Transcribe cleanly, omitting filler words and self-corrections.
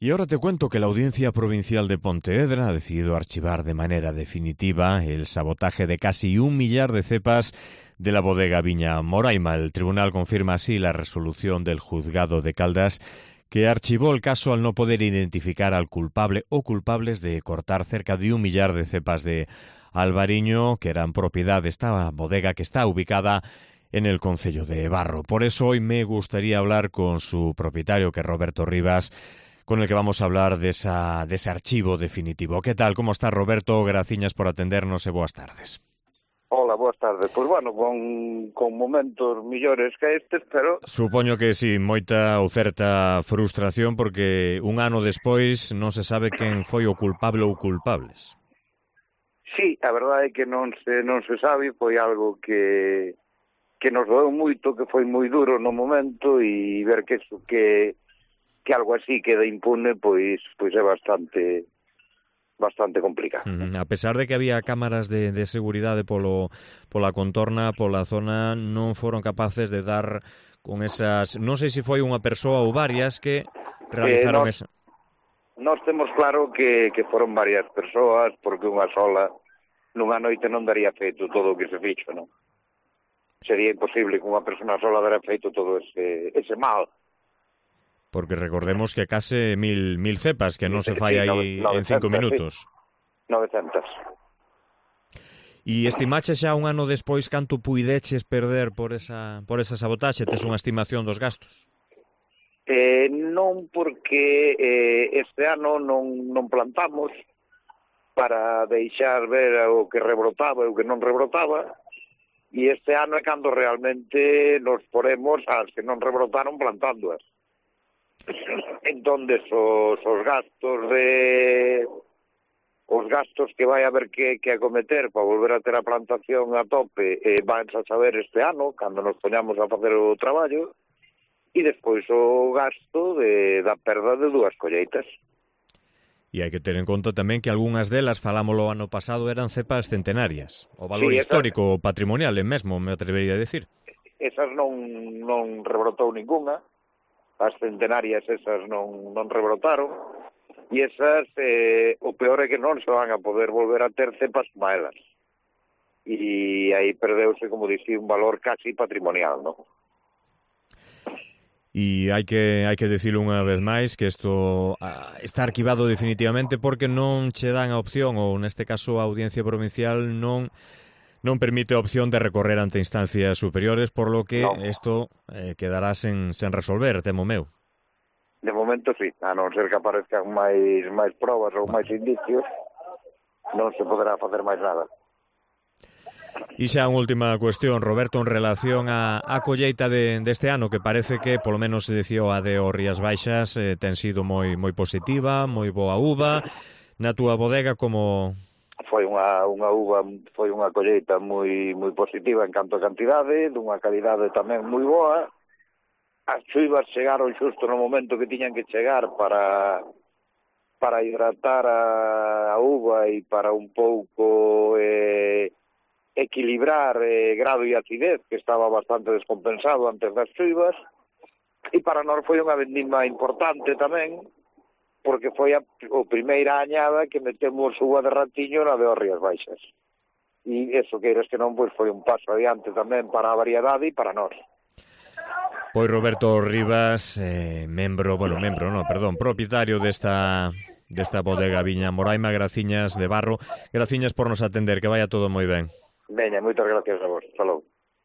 Y ahora te cuento que la Audiencia Provincial de Pontevedra ha decidido archivar de manera definitiva el sabotaje de casi 1 millar de cepas de la bodega Viña Moraima. El tribunal confirma así la resolución del juzgado de Caldas, que archivó el caso al no poder identificar al culpable o culpables de cortar cerca de 1 millar de cepas de albariño, que eran propiedad de esta bodega que está ubicada en el concello de Barro. Por eso hoy me gustaría hablar con su propietario, que es Roberto Rivas, con el que vamos a hablar de ese archivo definitivo. ¿Qué tal? ¿Cómo está, Roberto? Graciñas por atendernos e boas tardes. Hola, boas tardes. Pois, bueno, con momentos millores que estes, pero... Supoño que sí, moita ou certa frustración, porque un ano despois non se sabe quen foi o culpable ou culpables. Sí, a verdade é que non se sabe, foi algo que nos doeu moito, que foi moi duro no momento, e ver que algo así queda impune, pois é bastante complicado. A pesar de que había cámaras de seguridade pola contorna, pola zona, non foron capaces de dar con esas... Non sei se foi unha persoa ou varias que realizaron esa... Nós temos claro que foron varias persoas, porque unha sola nunha noite non daría feito todo o que se fixo, non? Sería imposible que unha persona sola dara feito todo ese mal. Porque recordemos que case 1000 cepas, que non se fai aí 900, en 5 minutos. Sí. 900. E estimache xa un ano despois canto puideches perder por esa sabotaxe? Tes unha estimación dos gastos? Non, porque este ano non plantamos para deixar ver o que rebrotaba e o que non rebrotaba, e este ano é cando realmente nos poremos as que non rebrotaron plantándoas. Entón, os gastos que vai haber que acometer para volver a ter a plantación a tope van a saber este ano, cando nos poñamos a facer o traballo, e despois o gasto da perda de 2 colleitas. E hai que ter en conta tamén que algunhas delas, falámoslo ano pasado, eran cepas centenarias. O valor histórico patrimonial mesmo, me atrevería a decir. Esas non rebrotou ninguna. As centenarias esas non rebrotaron, e esas, o peor é que non se van a poder volver a ter cepas como elas. E aí perdeuse, como dixi, un valor casi patrimonial, non? E hai que dicilo unha vez máis que isto está arquivado definitivamente porque non che dan a opción, ou neste caso a Audiencia Provincial non permite a opción de recorrer ante instancias superiores, por lo que isto quedará sen resolver, temo meu. De momento sí, a non ser que aparezcan máis probas ou máis indicios, non se poderá facer máis nada. E xa unha última cuestión, Roberto, en relación á colleita deste ano, que parece que, polo menos se dicía a de Rías Baixas, ten sido moi positiva, moi boa uva. Na túa bodega, como... Foi unha colleita moi positiva en canto a cantidade, dunha calidade tamén moi boa. As chuivas chegaron xusto no momento que tiñan que chegar para hidratar a uva e para un pouco equilibrar grado e acidez, que estaba bastante descompensado antes das chuivas. E para nós foi unha vendima importante tamén, porque foi a primeira añada que metemos uva de ratiño na de Rías Baixas. E eso, queiras que non, pois foi un paso adiante tamén para a variedade e para nós. Pois Roberto Rivas, propietario desta bodega Viña Moraima, graciñas de Barro, graciñas por nos atender, que vaya todo moi ben. Veña, moitas gracias a vos. Hasta logo.